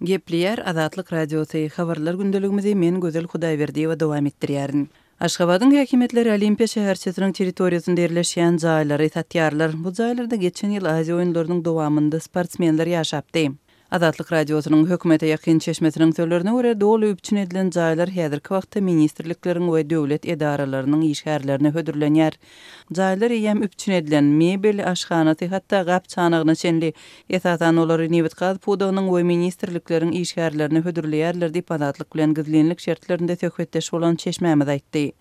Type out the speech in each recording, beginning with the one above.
Gepleýär Azatlyk Radiosy, Habarlar gündeligimizi men Gözel Hudaýberdiýewa dowam etdirýärin. Aşgabadyň häkimiýetleri Olimpiýa şäherçesiniň territoriýasynda ýerleşýän jaýlary satýarlar. Bu jaýlarda geçen ýyl Aziýa oýunlarynyň dowamynda sportsmenler ýaşapdy. Azatlyk Radiosynyň hökümete ýakyn çeşmesiniň sözlerine görä, doly üpjün edilen jaýlar häzirki wagtda ministrlikleriň we döwlet edaralarynyň işgärlerine hödürlenýär. Jaýlar eýýäm üpjün edilen, mebel, aşhanasy, hatda gap-çanagyna çenli. Esasan, olary nebit-gaz pudagynyň we ministrlikleriň işgärlerine hödürleýärler diýip, Azatlyk bilen gizlinlik şertlerinde söhbetdeş bolan çeşmämiz aýtdy.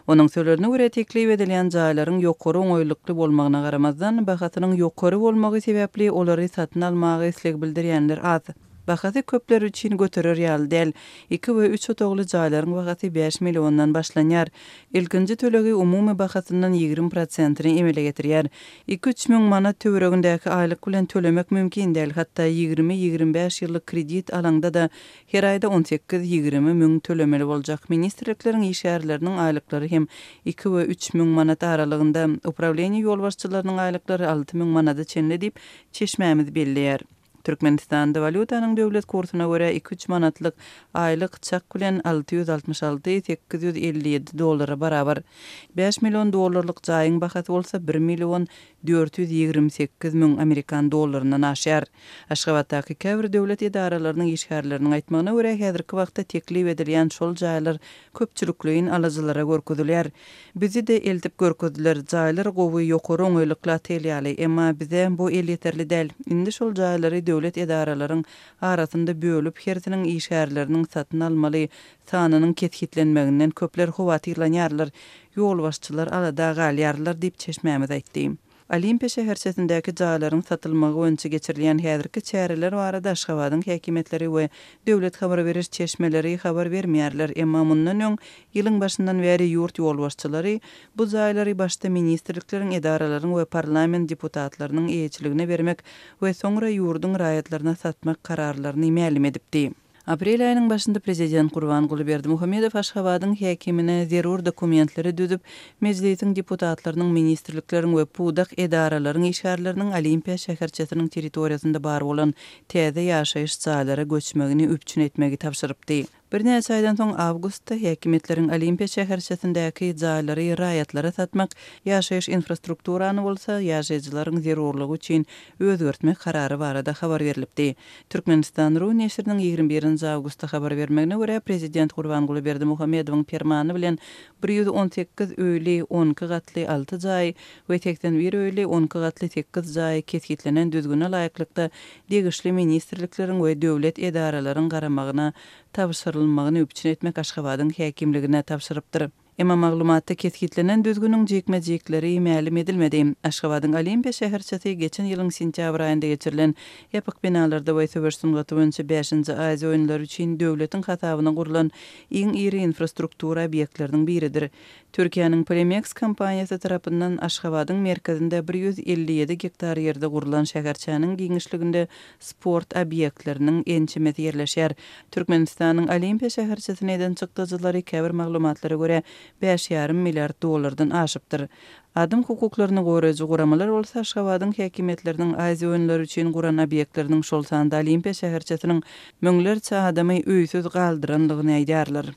Onuň sözlerine görä, teklip edilýän jaýlaryň ýokary oňaýlykly bolmagyna garamazdan, bahasynyň ýokary bolmagy sebäpli olary satyn almaga isleg bildirýänler az. Bahasy köpler üçin göterer ýaly däl. Iki we üç otagly jaýlaryň bahasy bäş milliondan başlanýar. Ilkinji tölegi umumy bahasyndan 20 prosentini emele getirýär. Iki-üç müň manat töweregindäki aýlyk bilen tölemek mümkin däl, hatda ýigrimi-ýigrimi bäş ýyllyk kredit alaňda-da her aýda on sekiz-ýigrimi müň tölemeli boljak. Ministrlikleriň işgärleriniň aýlyklary hem iki we üç müň manat aralygynda, uprawleniýe ýolbaşçylarynyň aýlyklary 6000 manada çenli diýip, çeşmämiz belleýär. Türkmenistanda walýutanyň döwlet kursuna görä iki-üç manatlyk aýlyk çak bilen 666, 857 dollara barabar. Bäş million dollarlyk jaýyň bahasy bolsa bir million 428 müň amerikan dollaryndan aşýar. Aşgabatdaky käbir döwlet edaralarynyň işgärleriniň aýtmagyna görä, häzirki wagtda teklip edilýän şol jaýlar köpçülikleýin alyjylara görkezilýär. Bizi-de eltip görkezdiler. Jaýlar gowy, ýokary oňaýlykly otel ýaly. Emma bize bu elýeterli däl. Indi şol jaýlary döwlet edaralaryň arasynda bölüp, hersiniň işgärleriniň satyn almaly sanynyň kesgitlenmeginden köpler howatyrlanýarlar, ýolbaşçylar alada galýarlar diýip, çeşmämiz aýtdy. Olimpiýa şäherçesindäki jaýlaryň satylmagy boýunça geçirilýän häzirki çäreler barada Aşgabadyň häkimiýetleri we döwlet habar beriş çeşmeleri habar bermeýärler. Emma mundan öň, ýylyň başyndan bäri ýurt ýolbaşçylary bu jaýlary başda ministrlikleriň, edaralaryň we parlament deputatlarynyň eýeçiligine bermek we soňra ýurduň raýatlaryna satmak kararlaryny mälim edipdi. Aprel aýynyň başynda prezident Gurbanguly Berdimuhamedow Aşgabadyň häkimine zerur dokumentleri düzüp, Mejlisiň deputatlarynyň, ministrlikleriň we pudak edaralaryň işgärleriniň Olimpiýa şäherçesiniň territoriýasynda bar bolan täze ýaşaýyş jaýlara göçmegini üpjün etmegi tabşyrypdy. Birnäçe aýdan soň, awgustda häkimiýetleriň Olimpiýa şäherçesindäki jaýlary raýatlara satmak, ýaşaýyş infrastrukturany bolsa ýaşaýjylaryň zerurlygy üçin özgertmek karary barada habar berlipdi. Türkmenistan. Ru neşiriniň 21 nji awgustda habar bermegine görä, prezident Gurbanguly Berdimuhamedowyň permany bilen 118 öýli 12 gatly alty jaý we 81 öýli 12 gatly sekiz jaý kesgitlenen düzgüne laýyklykda degişli ministrlikleriň we döwlet edaralaryň garamagyna tabşyrylmagyny üpjün etmek Aşgabadyň häkimligine tabşyrypdyr. Emma maglumatda kesgitlenen düzgüniň jikme-jikleri mälim edilmedi. Aşgabadyň Olimpiýa şäherçesi geçen ýylyň sentýabr aýynda geçirilen ýapyk binalarda we söweş sungaty boýunça bäşinji Aziýa oýunlary üçin döwletiň hasabyna gurlan iň iri infrastruktura obýektleriniň biridir. Türkiýäniň Polimeks kompaniýasy tarapyndan Aşgabadyň merkezinde 157 gektar ýerde gurlan şäherçäniň giňişliginde sport obýektleriniň ençemesi ýerleşýär. Türkmenistanyň Olimpiýa şäherçesine eden çykdajylary käbir maglumatlara görä, bäş ýarym milliard dollardan aşypdyr. Adam hukuklaryny goraýjy guramalar bolsa Aşgabadyň häkimiýetleriniň Aziýa oýunlary üçin guran obýektleriniň, şol sanda Olimpiýa şäherçesiniň müňlerçe adamy öýsüz galdyrandygyny aýdýarlar.